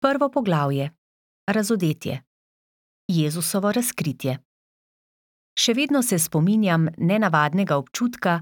Prvo poglavje. Razodetje. Jezusovo razkritje. Še vedno se spominjam nenavadnega občutka,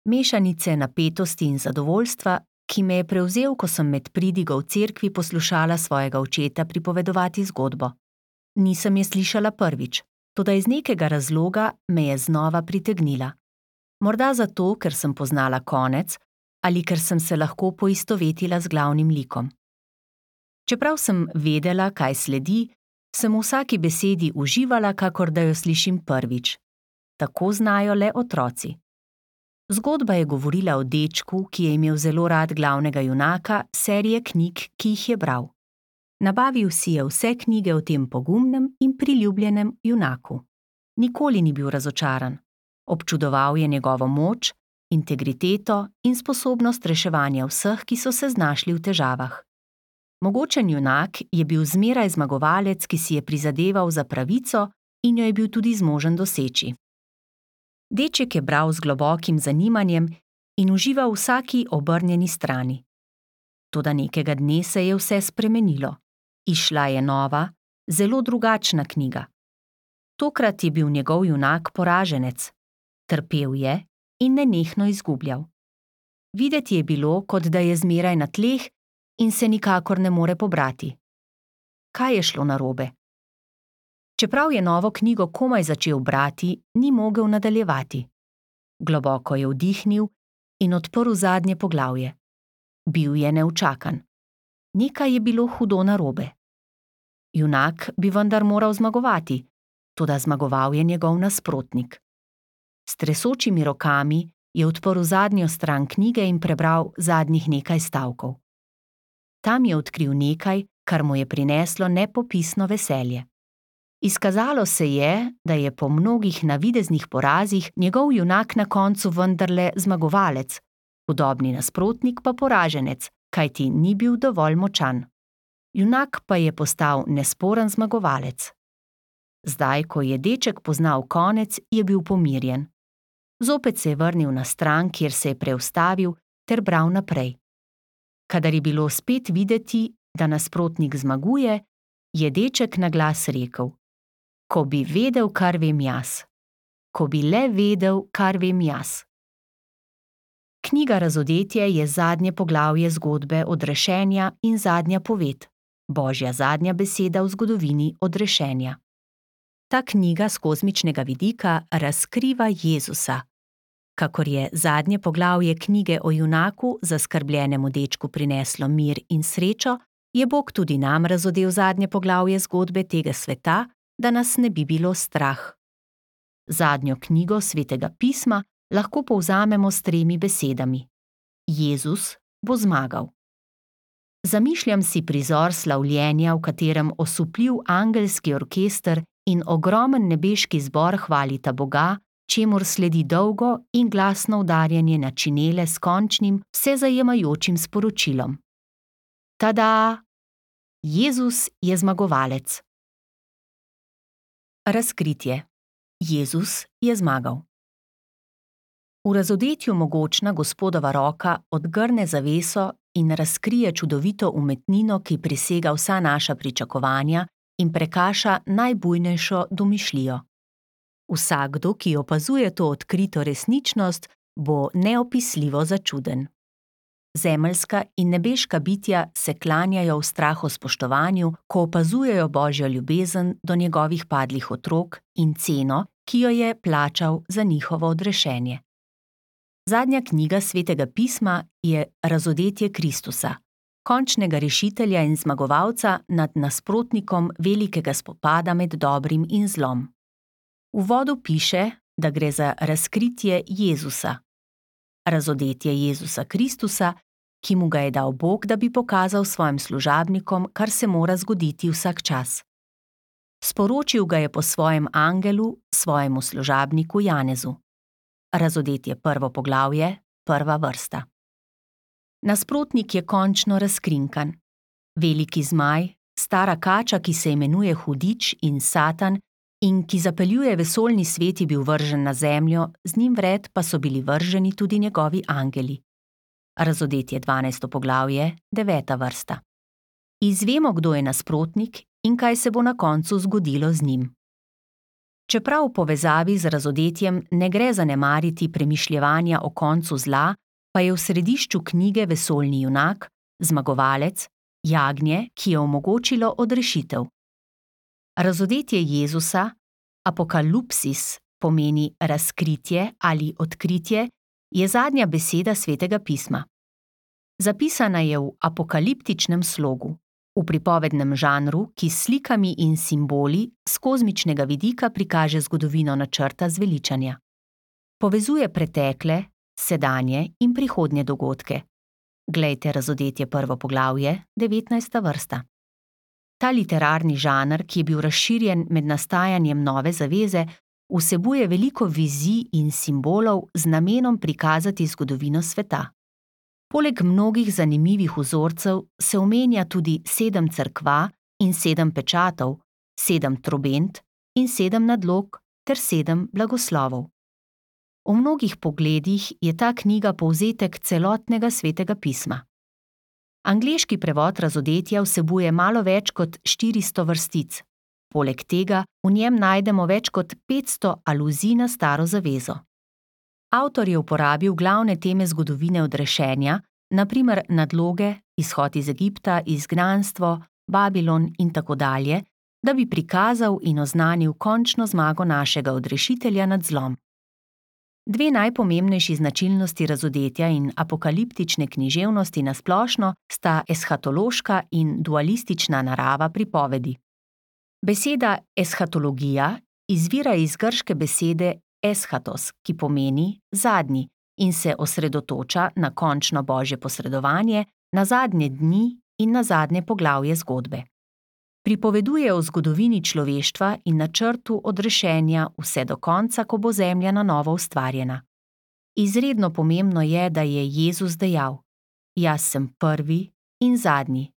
mešanice napetosti in zadovoljstva, ki me je prevzel, ko sem med pridigo v cerkvi poslušala svojega očeta pripovedovati zgodbo. Nisem je slišala prvič, toda iz nekega razloga me je znova pritegnila. Morda zato, ker sem poznala konec, ali ker sem se lahko poistovetila z glavnim likom. Čeprav sem vedela, kaj sledi, sem v vsaki besedi uživala, kakor da jo slišim prvič. Tako znajo le otroci. Zgodba je govorila o dečku, ki je imel zelo rad glavnega junaka serije knjig, ki jih je bral. Nabavil si je vse knjige o tem pogumnem in priljubljenem junaku. Nikoli ni bil razočaran. Občudoval je njegovo moč, integriteto in sposobnost reševanja vseh, ki so se znašli v težavah. Mogočen junak je bil zmeraj zmagovalec, ki si je prizadeval za pravico in jo je bil tudi zmožen doseči. Deček je bral z globokim zanimanjem in užival v vsaki obrnjeni strani. Toda nekega dne se je vse spremenilo. Izšla je nova, zelo drugačna knjiga. Tokrat je bil njegov junak poraženec. Trpel je in nenehno izgubljal. Videti je bilo, kot da je zmeraj na tleh in se nikakor ne more pobrati. Kaj je šlo narobe? Čeprav je novo knjigo komaj začel brati, ni mogel nadaljevati. Globoko je vdihnil in odprl zadnje poglavje. Bil je neučakan. Nekaj je bilo hudo narobe. Junak bi vendar moral zmagovati, toda zmagoval je njegov nasprotnik. S tresočimi rokami je odprl zadnjo stran knjige in prebral zadnjih nekaj stavkov. Tam je odkril nekaj, kar mu je prineslo nepopisno veselje. Izkazalo se je, da je po mnogih navideznih porazih njegov junak na koncu vendarle zmagovalec, hudobni nasprotnik pa poraženec, kajti ni bil dovolj močan. Junak pa je postal nesporen zmagovalec. Zdaj, ko je deček poznal konec, je bil pomirjen. Zopet se je vrnil na stran, kjer se je preustavil, ter bral naprej. Kadar je bilo spet videti, da nasprotnik zmaguje, je deček naglas rekel: Ko bi vedel, kar vem jaz. Ko bi le vedel, kar vem jaz. Knjiga Razodetje je zadnje poglavje zgodbe odrešenja in zadnja poved, Božja zadnja beseda v zgodovini odrešenja. Ta knjiga s kozmičnega vidika razkriva Jezusa. Kakor je zadnje poglavje knjige o junaku zaskrbljenemu dečku prineslo mir in srečo, je Bog tudi nam razodel zadnje poglavje zgodbe tega sveta, da nas ne bi bilo strah. Zadnjo knjigo Svetega pisma lahko povzamemo s 3 besedami: Jezus bo zmagal. Zamišljam si prizor slavljenja, v katerem osupljiv angelski orkester in ogromen nebeški zbor hvalita Boga, čemur sledi dolgo in glasno udarjanje na činele s končnim, vsezajemajočim sporočilom. Tada! Jezus je zmagovalec. Razkritje. Jezus je zmagal. V razodetju mogočna Gospodova roka odgrne zaveso in razkrije čudovito umetnino, ki presega vsa naša pričakovanja in prekaša najbujnejšo domišljijo. Vsakdo, ki opazuje to odkrito resničnost, bo neopisljivo začuden. Zemeljska in nebeška bitja se klanjajo v strahospoštovanju, ko opazujejo Božjo ljubezen do njegovih padlih otrok in ceno, ki jo je plačal za njihovo odrešenje. Zadnja knjiga Svetega pisma je Razodetje Kristusa, končnega rešitelja in zmagovalca nad nasprotnikom velikega spopada med dobrim in zlom. V uvodu piše, da gre za razkritje Jezusa. Razodetje Jezusa Kristusa, ki mu ga je dal Bog, da bi pokazal svojim služabnikom, kar se mora zgoditi vsak čas. Sporočil ga je po svojem angelu, svojemu služabniku Janezu. Razodetje 1. poglavje, 1. vrsta. Nasprotnik je končno razkrinkan. Veliki zmaj, stara kača, ki se imenuje Hudič in Satan in ki zapeljuje vesoljni svet, je bil vržen na zemljo, z njim vred pa so bili vrženi tudi njegovi angeli. Razodetje 12. poglavje, 9. vrsta. Izvemo, kdo je nasprotnik in kaj se bo na koncu zgodilo z njim. Čeprav v povezavi z razodetjem ne gre zanemariti premišljevanja o koncu zla, pa je v središču knjige vesoljni junak, zmagovalec, jagnje, ki je omogočilo odrešitev. Razodetje Jezusa, apokalupsis, pomeni razkritje ali odkritje, je zadnja beseda Svetega pisma. Zapisana je v apokaliptičnem slogu, v pripovednem žanru, ki s slikami in simboli s kozmičnega vidika prikaže zgodovino načrta zveličanja. Povezuje pretekle, sedanje in prihodnje dogodke. Glejte Razodetje 1. poglavje, 19. vrsta. Ta literarni žanr, ki je bil razširjen med nastajanjem Nove zaveze, vsebuje veliko vizij in simbolov z namenom prikazati zgodovino sveta. Poleg mnogih zanimivih vzorcev se omenja tudi 7 cerkva in 7 pečatov, 7 trobent in 7 nadlog ter 7 blagoslovov. V mnogih pogledih je ta knjiga povzetek celotnega Svetega pisma. Angleški prevod Razodetja vsebuje malo več kot 400 vrstic. Poleg tega v njem najdemo več kot 500 aluzij na Staro zavezo. Avtor je uporabil glavne teme zgodovine odrešenja, na primer nadloge, izhod iz Egipta, izgnanstvo, Babilon in tako dalje, da bi prikazal in oznanil končno zmago našega odrešitelja nad zlom. Dve najpomembnejši značilnosti razodetja in apokaliptične književnosti na splošno sta eshatološka in dualistična narava pripovedi. Beseda eshatologija izvira iz grške besede eschatos, ki pomeni zadnji in se osredotoča na končno božje posredovanje, na zadnje dni in na zadnje poglavje zgodbe. Pripoveduje o zgodovini človeštva in načrtu odrešenja vse do konca, ko bo zemlja na novo ustvarjena. Izredno pomembno je, da je Jezus dejal: Jaz sem prvi in zadnji,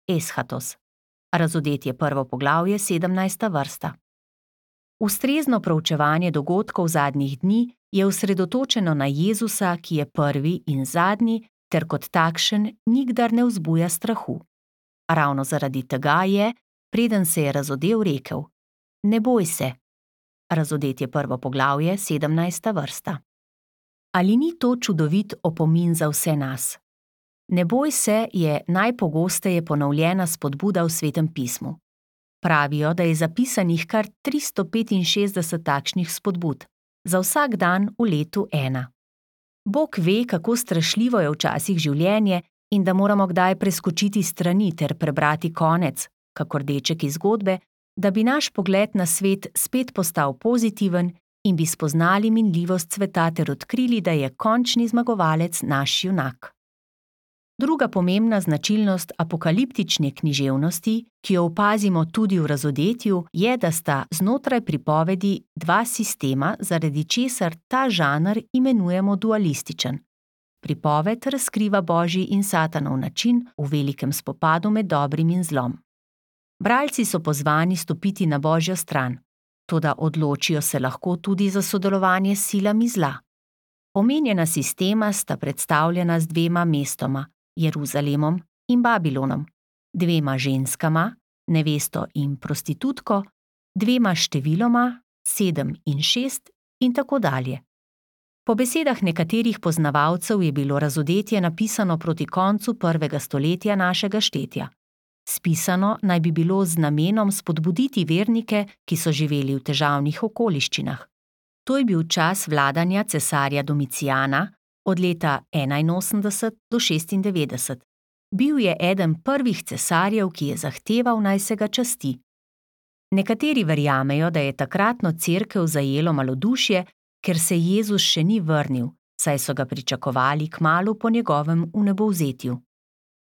eschatos. Razodetje 1. poglavje, 17. vrsta. Ustrezno proučevanje dogodkov zadnjih dni je osredotočeno na Jezusa, ki je prvi in zadnji, ter kot takšen nikdar ne vzbuja strahu. Ravno zaradi tega je, preden se je razodel, rekel: Ne boj se. Razodetje 1. poglavje, 17. vrsta. Ali ni to čudovit opomin za vse nas? Ne boj se je najpogosteje ponovljena spodbuda v Svetem pismu. Pravijo, da je zapisanih kar 365 takšnih spodbud, za vsak dan v letu 1. Bog ve, kako strašljivo je včasih življenje in da moramo kdaj preskočiti strani ter prebrati konec, kakor deček iz zgodbe, da bi naš pogled na svet spet postal pozitiven in bi spoznali minljivost sveta ter odkrili, da je končni zmagovalec naš junak. Druga pomembna značilnost apokaliptične književnosti, ki jo opazimo tudi v Razodetju, je, da sta znotraj pripovedi dva sistema, zaradi česar ta žanr imenujemo dualističen. Pripoved razkriva božji in satanov način v velikem spopadu med dobrim in zlom. Bralci so pozvani stopiti na božjo stran, toda odločijo se lahko tudi za sodelovanje s silami zla. Omenjena sistema sta predstavljena z dvema mestoma, Jeruzalemom in Babilonom, dvema ženskama, nevesto in prostitutko, dvema številoma, 7 in 6 in tako dalje. Po besedah nekaterih poznavalcev je bilo Razodetje napisano proti koncu 1. stoletja našega štetja. Spisano naj bi bilo z namenom spodbuditi vernike, ki so živeli v težavnih okoliščinah. To je bil čas vladanja cesarja Domicijana od leta 81 do 96. Bil je eden prvih cesarjev, ki je zahteval, naj se ga časti. Nekateri verjamejo, da je takratno cerkev zajelo malodušje, ker se Jezus še ni vrnil, saj so ga pričakovali kmalu po njegovem vnebovzetju.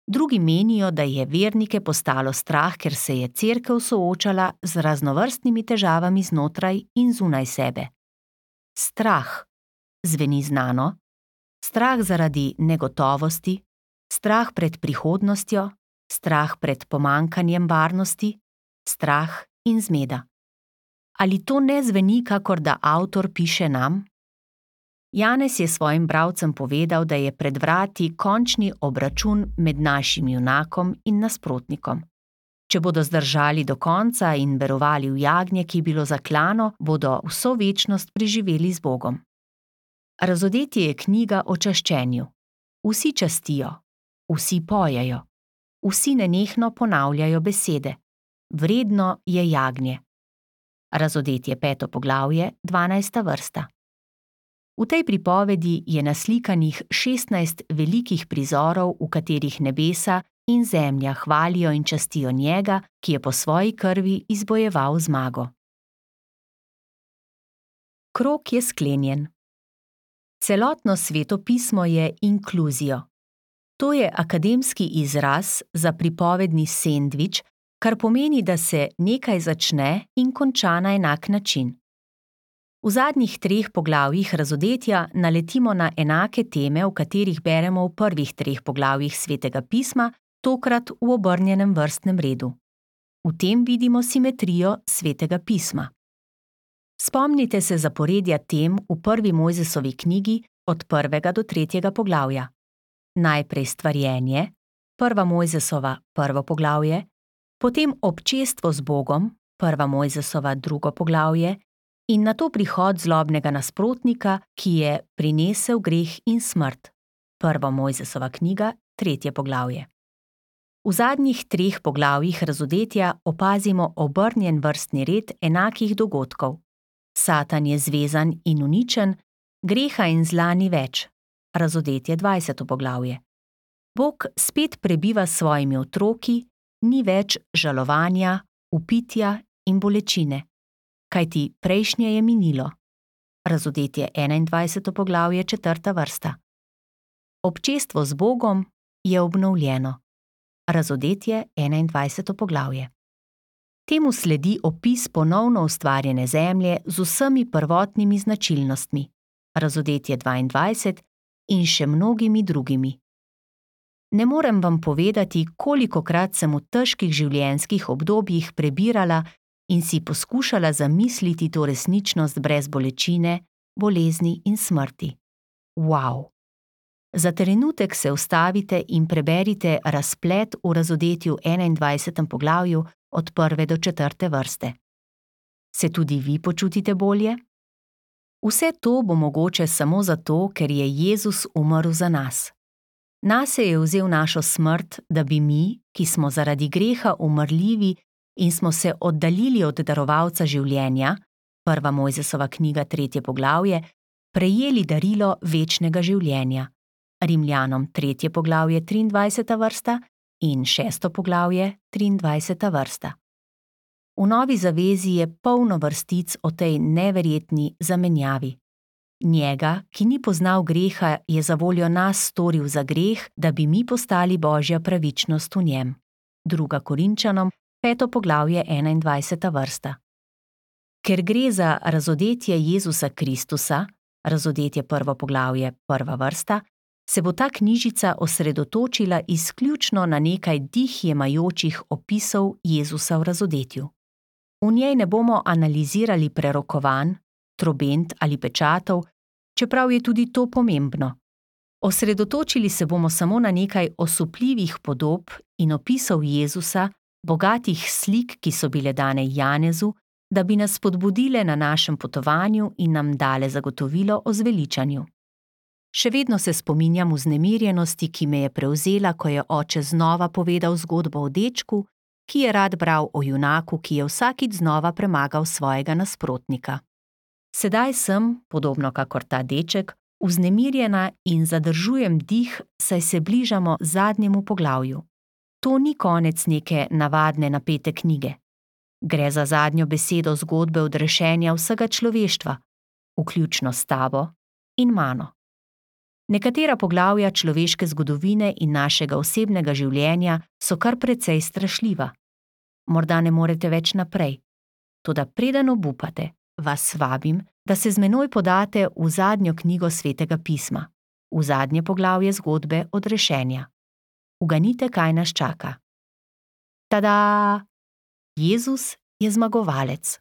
Drugi menijo, da je vernike postalo strah, ker se je cerkev soočala z raznovrstnimi težavami znotraj in zunaj sebe. Strah. Zveni znano? Strah zaradi negotovosti, strah pred prihodnostjo, strah pred pomanjkanjem varnosti, strah in zmeda. Ali to ne zveni, kakor da avtor piše nam? Janez je svojim bralcem povedal, da je pred vrati končni obračun med našim junakom in nasprotnikom. Če bodo zdržali do konca in verovali v jagnje, ki je bilo zaklano, bodo vso večnost preživeli z Bogom. Razodetje je knjiga o čaščenju. Vsi častijo, vsi pojejo, vsi nenehno ponavljajo besede. Vredno je jagnje. Razodetje 5. poglavje, 12. vrsta. V tej pripovedi je naslikanih 16 velikih prizorov, v katerih nebesa in zemlja hvalijo in častijo njega, ki je po svoji krvi izbojeval zmago. Krog je sklenjen. Celotno Sveto pismo je inkluzijo. To je akademski izraz za pripovedni sendvič, kar pomeni, da se nekaj začne in konča na enak način. V zadnjih 3 poglavjih razodetja naletimo na enake teme, o katerih beremo v prvih 3 poglavjih Svetega pisma, tokrat v obrnjenem vrstnem redu. V tem vidimo simetrijo Svetega pisma. Spomnite se zaporedja tem v 1. Mojzesovi knjigi od 1. do 3. poglavja. Najprej stvarjenje, 1. Mojzesova 1. poglavje, potem občestvo z Bogom, 1. Mojzesova 2. poglavje, in nato prihod zlobnega nasprotnika, ki je prinesel greh in smrt. 1. Mojzesova knjiga, 3. poglavje. V zadnjih 3 poglavjih razodetja opazimo obrnjen vrstni red enakih dogodkov. Satan je zvezan in uničen, greha in zla ni več. Razodetje 20. poglavje. Bog spet prebiva s svojimi otroki, ni več žalovanja, vpitja in bolečine. Kajti prejšnje je minilo. Razodetje 21. poglavje, 4. vrsta. Občestvo z Bogom je obnovljeno. Razodetje 21. poglavje. Temu sledi opis ponovno ustvarjene zemlje z vsemi prvotnimi značilnostmi. Razodetje 22 in še mnogimi drugimi. Ne morem vam povedati, kolikokrat sem v težkih življenjskih obdobjih prebirala in si poskušala zamisliti to resničnost brez bolečine, bolezni in smrti. Wow! Za trenutek se ustavite in preberite razplet v razodetju 21. poglavju od 1. do 4. vrste. Se tudi vi počutite bolje? Vse to bo mogoče samo zato, ker je Jezus umrl za nas. Nase je vzel našo smrt, da bi mi, ki smo zaradi greha umrljivi in smo se oddaljili od darovalca življenja, 1. Mojzesova knjiga 3. poglavje, prejeli darilo večnega življenja. Rimljanom 3. poglavje 23. vrsta in 6. poglavje 23. vrsta. V Novi zavezi je polno vrstic o tej neverjetni zamenjavi. Njega, ki ni poznal greha, je zavoljo nas storil za greh, da bi mi postali Božja pravičnost v njem. 2. Korinčanom 5. poglavje 21. vrsta. Ker gre za razodetje Jezusa Kristusa, razodetje 1. poglavje 1. vrsta, se bo ta knjižica osredotočila izključno na nekaj dih jemajočih opisov Jezusa v razodetju. V njej ne bomo analizirali prerokovanj, trobent ali pečatov, čeprav je tudi to pomembno. Osredotočili se bomo samo na nekaj osupljivih podob in opisov Jezusa, bogatih slik, ki so bile dane Janezu, da bi nas spodbudile na našem potovanju in nam dale zagotovilo o zveličanju. Še vedno se spominjam vznemirjenosti, ki me je prevzela, ko je oče znova povedal zgodbo o dečku, ki je rad bral o junaku, ki je vsakič znova premagal svojega nasprotnika. Sedaj sem, podobno kakor ta deček, vznemirjena in zadržujem dih, saj se bližamo zadnjemu poglavju. To ni konec neke navadne napete knjige. Gre za zadnjo besedo zgodbe odrešenja vsega človeštva, vključno s tabo in mano. Nekatera poglavja človeške zgodovine in našega osebnega življenja so kar precej strašljiva. Morda ne morete več naprej. Toda preden obupate, vas vabim, da se z menoj podate v zadnjo knjigo Svetega pisma, v zadnje poglavje zgodbe odrešenja. Uganite, kaj nas čaka. Tada! Jezus je zmagovalec.